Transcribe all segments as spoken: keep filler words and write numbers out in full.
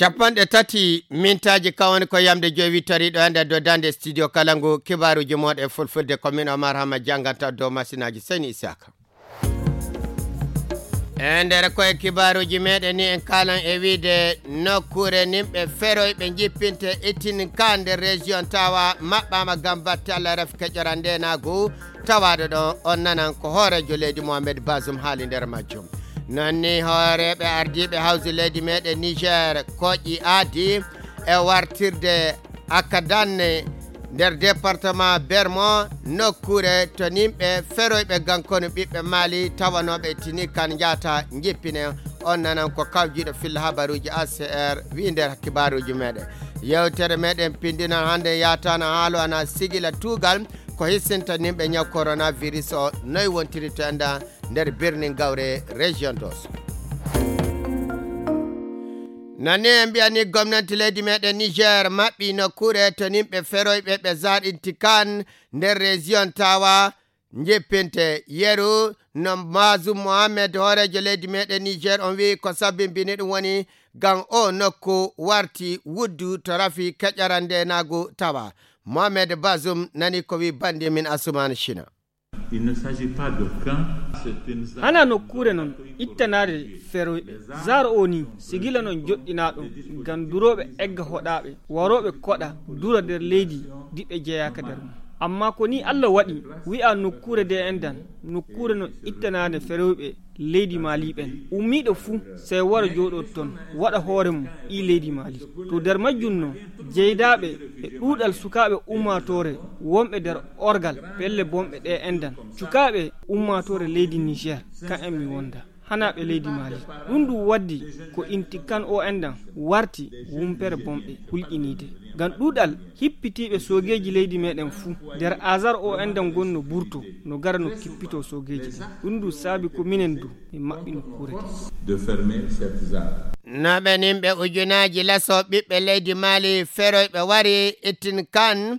Capanɗe tati mintaaji kawani ko yamde joyi wittariiɗo e nder dow daande studio kala ngu kibaaruuji mooɗon e fulfulde ko min Omar Hama jannganta dow masinaaji Seyni Isaka. E nder koye kibaaruuji meɗen ni en kaalan e wiide nokkuure nimɓe feroyɓe jippinte itin ka nder région tawa maɓɓama ngam batte Allah rafi keƴora ndenagu tawaɗo ɗo on nanan ko hoorejo leydi Mohamed Bazoum haali nder majjum. Non ni hooreɓe ardiɓe hawsi leydi meɗen Niger koƴi aadi e wartirde Akadanne nder département Bermo, nokkure to nimɓe feroyɓe gankonu ɓiɓɓe Mali tawanoɓe tini kan jata jippine. On nanan ko kawjiɗo filla habaruji A C R wi nder kibaruji meɗen. Yewtere meɗen pindinan hande yatana haalo ana sigila tugal ko hissinta nimɓe ñaw coronavirus o noy wontiri to enda nder birnin gawre région dos. Nani en mbiyani gomnanti leydi meɗen Niger maɓɓi nokkure to nimɓe feroyɓe ɓe zaɗinti kan nder région tawa jippinte yeru no Bazoum Mohamed hoorejo leydi meɗen Niger on wi ko sabbimbini ɗum woni ngam o nokku warti wuddu to rafi keƴara ndenagu tawa. Mohamed Bazoum nani ko wi bandi min Asuman China. Il ne s'agit pas de camp, c'est une zone hana nokkure non ittanaade feroyɓe. Zar o ni sigila non joɗɗinaɗo ngam duroɓe egga hoɗaɓe waroɓe koɗa dura nder leydi diɓe jeyaka nder mum. Amma ko ni Allah waɗi wi'a nokkure de endan nokkure non ittanaade feroyɓe leydi Mali ɓen. Ummiiɗo fuu sey wara jooɗoo ton, waɗa hoore mum ɓii leydi Mali. To nder majjum non, jeydaaɓe e ɗuuɗal sukaaɓe ummaatoore wonɓe nder orgal pelle bonɓe ɗe endan. Sukaaɓe ummaatoore leydi Niger, kan en mi wonda. Hanaaɓe leydi Mali. Ɗum ɗum waddi ko inti kan o endan warti wumpere bonɓe hulƴiniide. Ngam ɗuuɗal hippitiiɓe soogeeji leydi meɗen fuu, nder azar o endan gonno burto, no gara no kippito soogeeji ɗin. Ɗum ɗum saabi ko minen du, min maɓɓi nokkuure de. De fermer cette zone. Naɓe nimɓe ujunaaji laso ɓiɓɓe leydi Mali feroyɓe wari ittin kan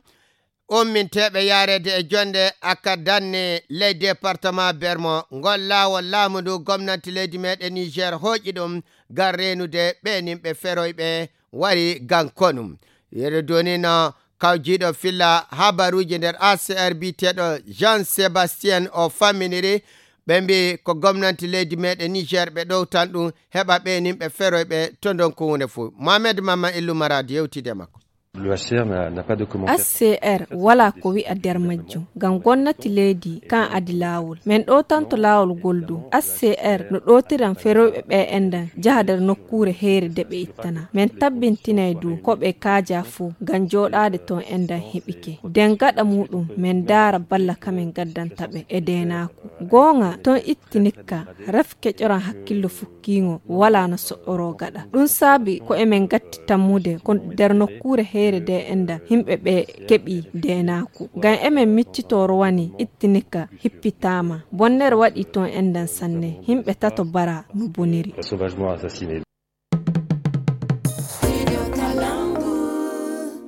umminteeɓe yaareede e jonde aka danne ley département Bermo. Ngol laawol laamu ndu gomnanti leydi meɗen Niger hooƴi ɗum ngam reenude ɓe nimɓe feroyɓe wari ngam konu. Yeru duni no kawjiiɗo filla habaruuji nder A C R biyeteeɗo Jean Sébastien o famminiri, ɓe mbi ko gomnanti leydi meɗen Niger ɓe ɗowtan ɗum heɓa ɓe nimɓe feroyɓe to ndonku hunde fuu. Mohamed Mama Illu Maradi yewtide makko. Le H C R n'a, n'a pas de commentaire. H C R wala ko wi'a nder majjum, ngam gomnati leydi kan adi laawol. Men ɗowtanto laawol ngol du. H C R no ɗowtiran feroyɓe ɓe endan jaha nder nokkuure heere de ɓe ittana. Men tabbintinay du ko ɓe kaaja fuu ngam jooɗaade ton endan heɓike. Den gaɗa muɗum men ndaara balla ka men gaddanta ɓe e deenaaku. Goonga ton itti nikka, ref keƴoran hakkillo fukkiingo wala no so'oroo gaɗa. Ɗum saabi ko emen gatti tammude ko nder nokkuure heere de endan himɓe ɓe keɓi deenaaku. Ngam emen miccitoo rowani itti nikka hippitaama. Bonnere waɗi ton endan sanne. Himɓe tato bara no boniri. Sauvagement assassiné.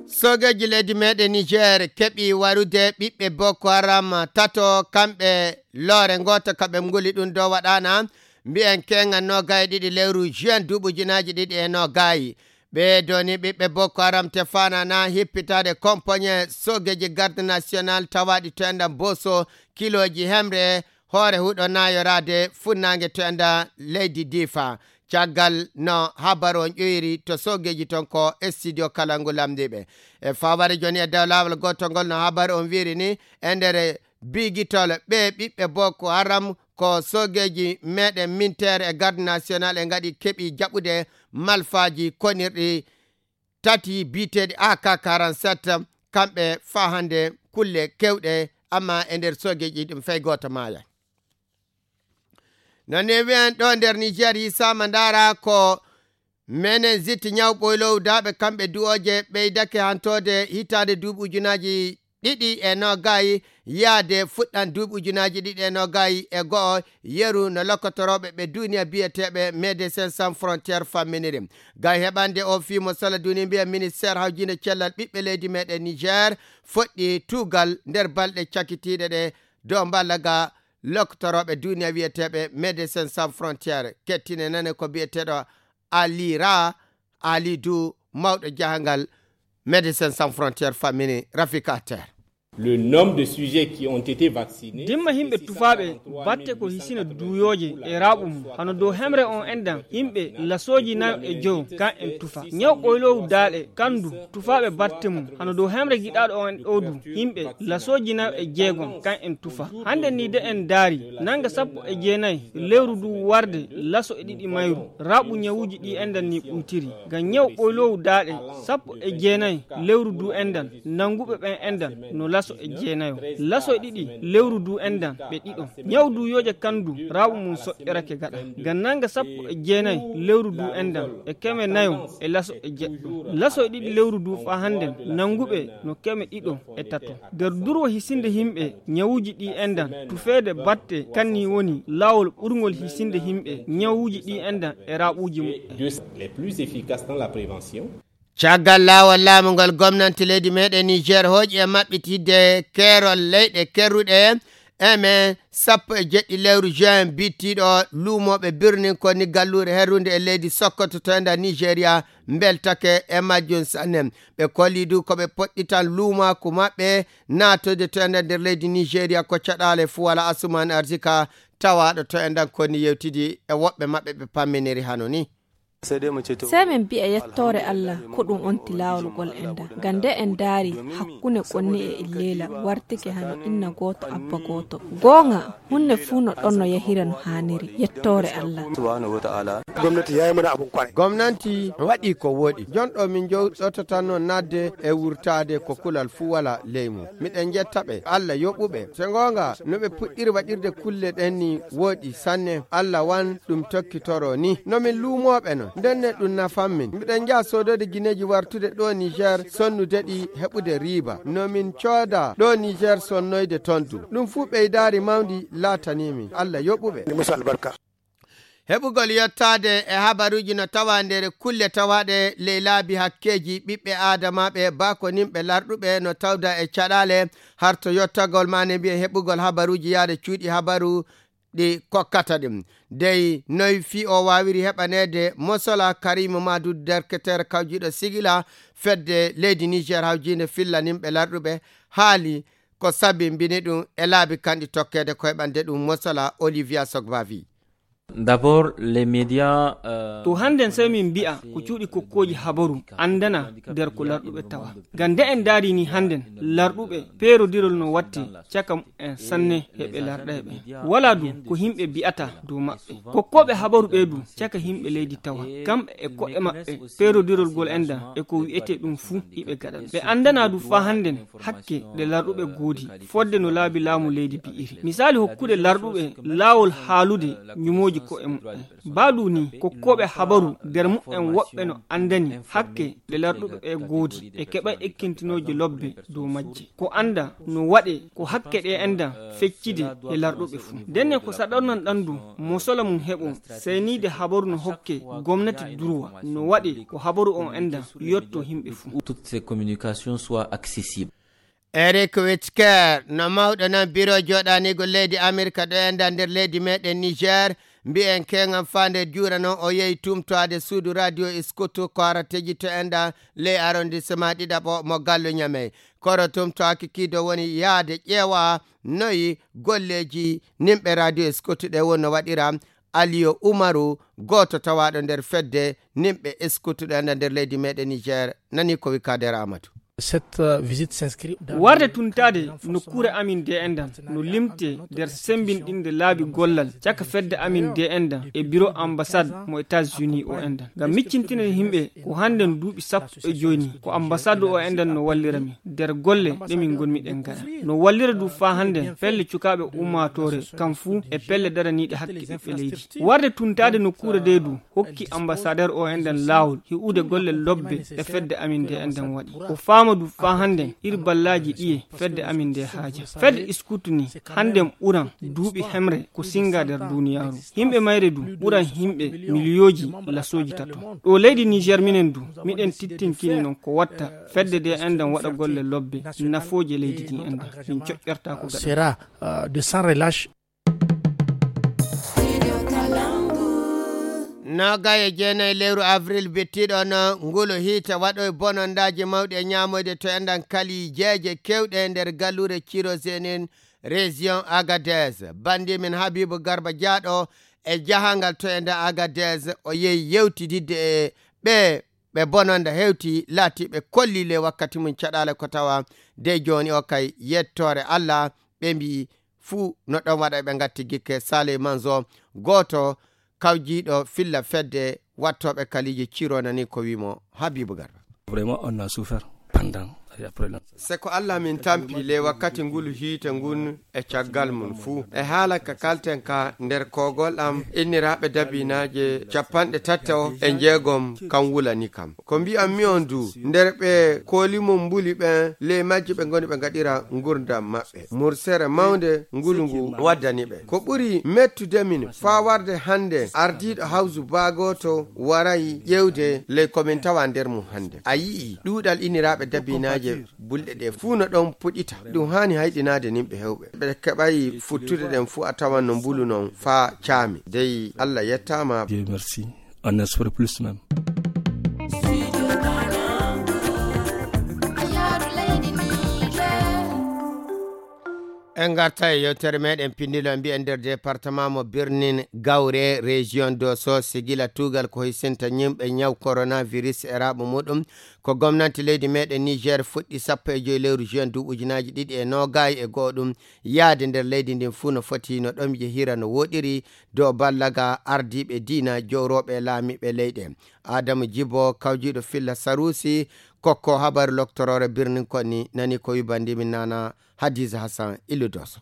Soogeeji leydi meɗen Niger keɓi warude ɓiɓɓe Boko Haram tato kamɓe loore gooto ka ɓe nguli ɗum dow waɗaana mbiyen keŋŋa noogay e ɗiɗi lewru juin duuɓi ujunaaji ɗiɗi e noogay. Ɓe doni ɓiɓɓe Boko Haram te fanana hippitaade kompoñe soogeeji garde national tawaaɗi to enɗan Boso kilooji hemre hoore huɗo naayoraade funnaange to enɗan leydi Difa. Caggal no habaru on ƴoyri to soogeeji ton ko e studio kala ngu lamndiiɓe. E faware jooni e dow laawol gootol ngol no habaru on wiiri ni e nder bigitol ɓe ɓiɓɓe Boko Haram ko soogeeji meɗen minteere e garde national e ngaɗi keɓi jaɓude malfaaji konirɗi tati biyeteeɗi A K quarante-sept kamɓe faa hannde kulle kewɗe amma e nder soogeeji ɗum fay gooto maaya. No newi en ɗo nder Niger yisaama ndaara ko meningite ñaw ɓoylow daaɓe kamɓe duwooje ɓeydake hantoode hitaande duuɓi ujunaaji ɗiɗi e noogay yaade fuɗɗan duuɓi ujunaaji ɗiɗi e noogay e go'o yeru no lokkotorooɓe ɓe duniya biyeteeɓe Médecins Sans Frontières famminiri. Ngam heɓande o fii mo sala duni mbiya ministeer hawjinde cellal ɓiɓɓe leydi meɗen Niger foɗɗi tuugal nder balɗe cakitiiɗe ɗe dow mballa ga lokkotorooɓe duniya wiyeteeɓe Médecins Sans Frontières. Kettine nane ko biyeteeɗo Alira Ali Dou, mawɗo jahangal Médecins Sans Frontières, fammini Rafika Atter. Le nombre de sujets qui ont été vaccinés, dimma himɓe tufaaɓe batte ko hisina duuyooje e raaɓu mum, hano dow hemre on endan, yimɓe lasooji nayo e joyo, kan en tufa. Ñaw ɓoyloowu daaɗe, kandu, tufaaɓe batte mum, hano dow hemre giɗaaɗo on ɗoo du, yimɓe lasooji nayo e jeegom, kan en tufa. Hande ni de en daari, nanga sappo e jeenayi lewru du warde laso e ɗiɗi mayru, raaɓu ñawuuji ɗi endan ni ɓuytiri. Ngam ñaw ɓoyloowu daaɗe, sappo e jeenayi lewru du endan, nanguɓe ɓen endan no laso e jeenayo. Laso e ɗiɗi lewru du endan ɓe ɗiɗo. Ñaw du yooje kandu raaɓu mum soƴƴorake gaɗa. Ngam nanga sappo e jeenayi lewru du endan e keme nayo e laso e jeɗɗo. Laso e ɗiɗi lewru du faa handen nanguɓe no keme ɗiɗo e tato. Nder durwo hisinde yimɓe ñawuuji ɗi endan, tufeede batte kanni woni laawol ɓurngol hisinde yimɓe ñawuuji ɗi endan e raaɓuuji muɓɓen. Deux les plus efficaces dans la prévention. Caggal laawol laamu ngol, gomnanti leydi meɗen Niger hooƴi e maɓɓitidde keerol leyɗe kerruɗe eme sappo e jeɗɗi lewru juin bittiiɗo luumooɓe birnin ko ni galluure herrunde e leydi Sokoto to enda Nigeria mbeltake e majjum sanne. Ɓe kolli du ko ɓe poɗɗitan luumaaku maɓɓe naatoyde to enda nder leydi Nigeria ko caɗaale fuu wala. Asuman Arzika tawaaɗo to endan ko ni yewtidi e woɓɓe maɓɓe ɓe pamminiri hano ni. Sey min mbi'a yettoore Allah, ko ɗum onti laawol ngol enda. Ngam nde en ndaari hakkunde Konni e Illeela wartike hano inna gooto, abba gooto. Goonga, hunde fuu no ɗon no yahira no haaniri. Yettoore Allah. Gomnanti waɗi ko wooɗi. Jon ɗo min jowɗototanno naatde e wurtaade ko kulal fuu wala ley mum. Miɗen njetta ɓe, Allah yoɓu ɓe. Se goonga, no ɓe puɗɗiri waɗirde kulle ɗen ni wooɗi sanne. Allah wan ɗum tokkitoro ni. No min luumooɓe non, ndenne ɗum nafan min. Miɗen njaha soodoyde gineeji wartude ɗo Niger, sonnude ɗi heɓude riiba. No min cooda ɗo Niger sonnoyde ton du. Ɗum fuu ɓeydaari mawndi laatanii min. Allah yoɓu ɓe. Ni musu albarka. Heɓugol yottaade e habaruuji no tawa nder kulle tawaaɗe ley laabi hakkeeji ɓiɓɓe aadamaaɓe, baakoninɓe larɗuɓe no tawda e caɗaale harto yottagol maane mbiyen heɓugol habaruuji yaade cuuɗi habaru ɗi kokkata ɗum. Dey noy fii o waawiri heɓaneede mosola? Karimu Madu, derketeere kawjiiɗo sigila fedde leydi Niger hawjiinde fillaninɓe larɗuɓe, haali ko sabimbini ɗum e laabi kanɗi tokkeede ko heɓande ɗum mosola. Olivia Sogbavi. D'abord, les médias, euh, to hannden sey min mbi'a ko cuuɗi kokkooji habaru anndana nder ko larɗuɓe tawa. Ngam nde en ndaari ni hannden, larɗuɓe peerodirol no watte caka mumen sanne he ɓe larɗay ɓe. Walaa du ko yimɓe mbi'ata dow maɓɓe. Kokkooɓe habaru ɓe du caka yimɓe leydi tawa. Kamɓe e ko'e maɓɓe peerodirol ngol endan e ko wi'etee ɗum fuu iɓe gaɗa. Ɓe anndana du faa hannden hakke ɗe larɗuɓe goodi, fodde no laabi laamu leydi bi'iri. Misaali hokkude larɗuɓe laawol haalude ñumooji ko'e mumen. Baa du ni, kokkooɓe habaru nder mumen woɓɓe no anndani hakke ɗe larɗuɓe ɓe goodi, e keɓay ekkintinooje lobbe dow majje. Ko annda no waɗe ko hakke ɗe endan feccide e larɗuɓe fuu. Ndenne ko saɗornan ɗan du, mosola mum heɓo, seyniide habaru no hokke gomnati durwa, no waɗe ko habaru on endan yotto yimɓe fuu. Toutes ces communications soient accessibles. Eric Witker, no mawɗo nan biro jooɗaniigo leydi Amerika ɗo endan nder leydi meɗen Niger, mbi'en keŋan faa nde juura non o yehi tumtoade suudu radio Scout ko harateeji to endan ley arrondissement ɗiɗaɓo mo gallu Ñamey. Kono tumtoaki kiido woni yaade ƴeewa noyi golleeji nimɓe radio Scout ɗe wonno waɗira. Aliyo Umaru, gooto tawaaɗo nder fedde nimɓe Scout ɗo endan nder leydi meɗen Niger, nani ko wi Kader Amadou. Cette, euh, visite s'inscrit dans warde le tuntaade cadre nokkuure renforcement amin de endan no limte nder sembinɗinde laabi gollal caka fedde amin de endan e biro ambassade mo États-Unis o endan. Ngam miccintinde yimɓe ko hannden duuɓi sappo e joy ni ko ambassade o endan no wallira min nder golle ɗe min ngonmi ɗen gaɗa. No wallira du faa hannden pelle cukaaɓe ummaatoore kam fuu e pelle daraniiɗe hakke ɓiɓɓe leydi. Warde tuntaade nokkuure de du hokki ambassadeur o enɗan laawol hi'ude golle lobbe ɗe fedde amin nde enɗan waɗi. O faama du faa hannden iri ballaaji ɗiye fedde amin nde haaja. Fedde Scout ni hannden ɓuran duuɓi hemre ko singa nder duuniyaaru. Yimɓe mayre du ɓuran yimɓe miliyooji lasooji tato. Ɗo leydi Niger minen du miɗen tittinkini non ko watta fedde nde enɗan waɗa golle lobbe nafooje leydi ndi enɗan. Min coƴƴortaako gaɗa. Sera, euh, de sans relâche. Noogay e jeenayi lewru avril bittiiɗo on, ngulu hiite waɗoy bonondaaji mawɗi e ñaamoyde to enɗan kali jeeje kewɗe nder galluure Cirozenin, région Agadez. Bandi min Habibu Garba Jaaɗo e jahangal to enɗan Agadez, o yehi yewtididde e ɓe, ɓe bononda hewti laati ɓe kolli le wakkati mum caɗaale ko tawa de jooni o kay yettoore Allah, ɓe mbiyi fuu no ɗon waɗa ɓe ngatti gikke Saleh Manzo, gooto kawjiiɗo filla fedde wattooɓe kaliiji Ciro nani ko wimo Habibu Garba. Vraiment, on a souffert pendant et après la. Se ko Allah min tampi le wakkati ngulu hiite ngun e caggal mum fuu. E haala ka kalten ka nder kogol am inniraaɓe dabinaaje capanɗe tato e jeegom kan wulani kam. Ko mbi'anmi on du, nder ɓe kooli mum mbuli ɓen, ley majji ɓe ngoni ɓe ngaɗira ngurndan maɓɓe. Mursere mawnde ngulu ngu waddani ɓe. Ko ɓuri mettude min faa warde hannde ardiiɗo hawsu baagooto waray ƴeewde ley ko min tawa nder mum hannde. A yi'i ɗuuɗal inniraaɓe dabinaaje bulɗe ɗe fuu no ɗon puɗita. Ɗum haani hayɗinaade nimɓe hewɓe. Ɓe keɓay futtude ɗen fuu a tawan no mbulu non faa caami. Dey Allah yettaama. Dieu merci. On espère plus même. En ngarta e yewtere meɗen pindilo mbiyen nder département mo Birnin Gawre, région Dosso, sigila tugal ko hisinta ñimɓe ñaw coronavirus e raaɓo muɗum. Ko gomnanti leydi meɗen Niger fuɗɗi sappo e joy lewru juin du ujunaaji ɗiɗi e noogay e go'o ɗum yaade nder leydi ndin fuu no foti no ɗon yehira no woɗiri dow ballaga ardiiɓe diina jowrooɓe e laamiiɓe leyɗe. Adamu Jibo, kawjiiɗo filla Sarusi, kokko habaru loktoroore birnin konni, nani ko wibandi min nana Hadiza Hassan Illu Doso.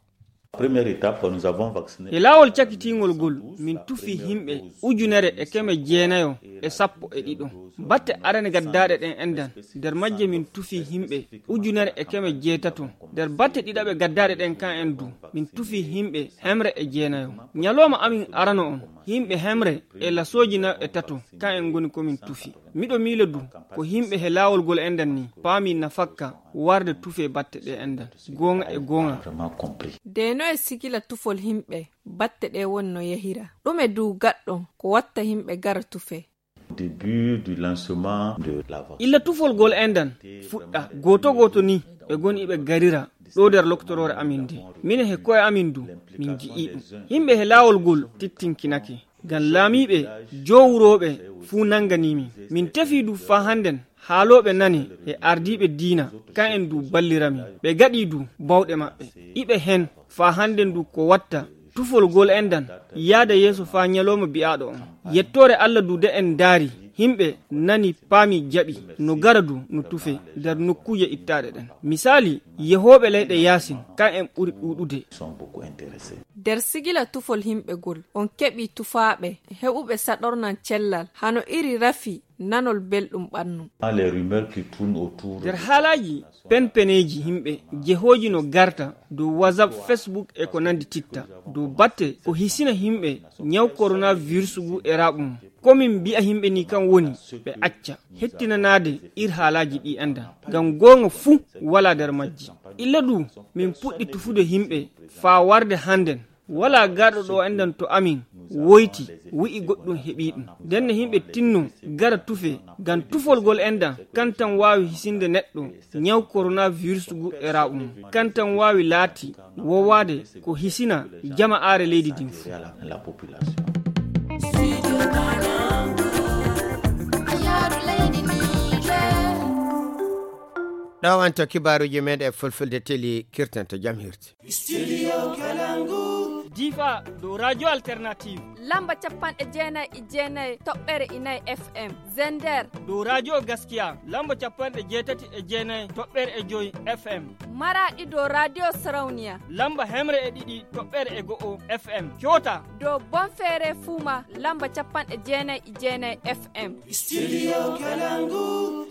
Première étape, nous avons vacciné. E laawol cakitiingol ngol, min tufi yimɓe ujunere e keme jeenayo e sappo e ɗiɗo. Batte arane gaddaaɗe ɗen endan, nder majje min tufi yimɓe ujunere e keme jeetato. Nder batte ɗiɗaɓe gaddaaɗe ɗen kan en du, min tufi yimɓe hemre e jeenayo. Ñalooma amin arano on, yimɓe hemre e lasooji nayo e tato, kan en ngoni ko min tufi. Miɗo miila du, ko yimɓe he laawol ngol endan ni, paami nafakka warde tufe batte ɗe endan. Goonga e goonga. Vraiment compris. De no e sigila tufol yimɓe, batte ɗe won no yehira. Ɗume du gaɗɗon ko watta yimɓe gara tufe? Au début du lancement de la vaccine. Illa tufol ngol endan fuɗɗa, gooto gooto ni ɓe ngoni ɓe garira ɗo nder loktoroore amin nde. Minen he ko'e amin du, min nji'i ɗum. Yimɓe he laawol ngol tittinkinake. Ngam laamiiɓe, jowrooɓe fuu nanganii min. Min tefii du faa hannden haalooɓe nane e ardiiɓe diina, kan en du ballira min. Ɓe gaɗii du bawɗe maɓɓe. Iɓe hen faa hannden du ko watta tufol ngol endan yaada yeeso faa ñalooma bi'aaɗo on. Yettoore Alla du de en ndaari, yimɓe nani, paami, jaɓi, no gara du no tufe nder nokkuuje ittaaɗe ɗen. Misaali, yehooɓe leyɗe yaasin, kan en ɓuri ɗuuɗude. Sont beaucoup intéressés. Nder sigila tufol yimɓe ngol, on keɓii tufaaɓe heɓuɓe saɗornan cellal, hano iri rafi nanol belɗum ɓannu. Les rumeurs qui tournent autour. Nder haalaaji penpeneeji yimɓe jehooji no garta dow WhatsApp, Facebook e ko nandi titta. Dow batte ko hisina yimɓe ñaw coronavirus ngu e raaɓum. Ko min mbi'a yimɓe ni kan woni ɓe acca hettinanaade ir haalaaji ɗi endan. Ngam goonga fuu walaa nder majji. Illa du min puɗɗi tufude yimɓe faa warde hannden. Walaa garɗo ɗo endan to amin woyti wi'i goɗɗum heɓii ɗum. Ndenne yimɓe tinno gara tufe, ngam tufol ngol endan kan tan waawi hisinde neɗɗo ñaw coronavirus ngu e raaɓum. Kan tan waawi laati wowaade ko hisina jama'aare leydi ndin fuu. La population. Ɗo on to kibaaruuji meɗen e fulfulde teli kirtanto jam hirti. Studio Kalangu. Difa dow Radio Alternative. Lamba capanɗe jeenayi e jeenayi toɓɓere inayi F M. Zender. Dow Radio Gaskiya. Lamba capanɗe jeetati e jeenayi toɓɓere e joy F M. Maraɗi dow Radio Sarauniya. Lamba hemre e ɗiɗi toɓɓere e go'o F M. Kyota. Dow Bonfere Fuma. Lamba capanɗe jeenayi e jeenayi F M. Studio Kalangu.